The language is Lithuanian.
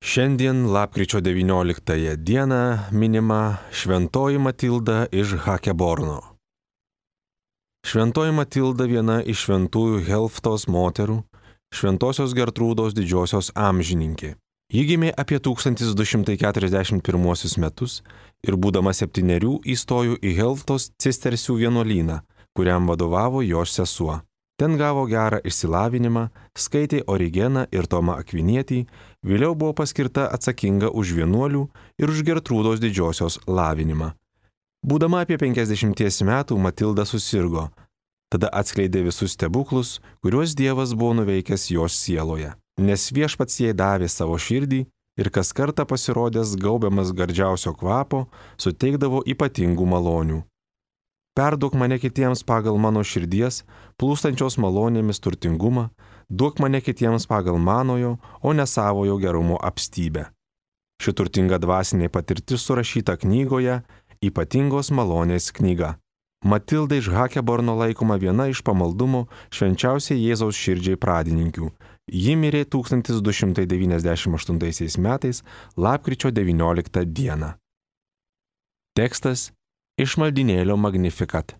Šiandien lapkričio 19 dieną minima Šventoji Matilda iš Hakeborno. Šventoji Matilda viena iš šventųjų Helftos moterų, Šventosios Gertrūdos didžiosios amžininkė. Ji gimė apie 1241 metus ir būdama 7 įstojo į Helftos cistercių vienuolyną, kuriam vadovavo jos sesuo. Ten gavo gerą išsilavinimą, skaitė Origeną ir Tomą Akvinietį, vėliau buvo paskirta atsakinga už vienuolių ir už Gertrūdos didžiosios lavinimą. Būdama apie 50 metų Matilda susirgo, tada atskleidė visus stebuklus, kuriuos Dievas buvo nuveikęs jos sieloje, nes Viešpats jai davė savo širdį ir kas kartą pasirodęs gaubiamas gardžiausio kvapo, suteikdavo ypatingų malonių. Perduok mane kitiems pagal mano širdies, plūstančios malonėmis turtingumą, duok mane kitiems pagal manojo, o ne savojo gerumo apstybę. Ši turtinga dvasinė patirtis surašyta knygoje Ypatingos malonės knyga. Matilda iš Hakeborno laikoma viena iš pamaldumo švenčiausiai Jėzaus širdžiai pradininkių. Ji mirė 1298 metais lapkričio 19 dieną. Tekstas iš maldynėlio Magnificat.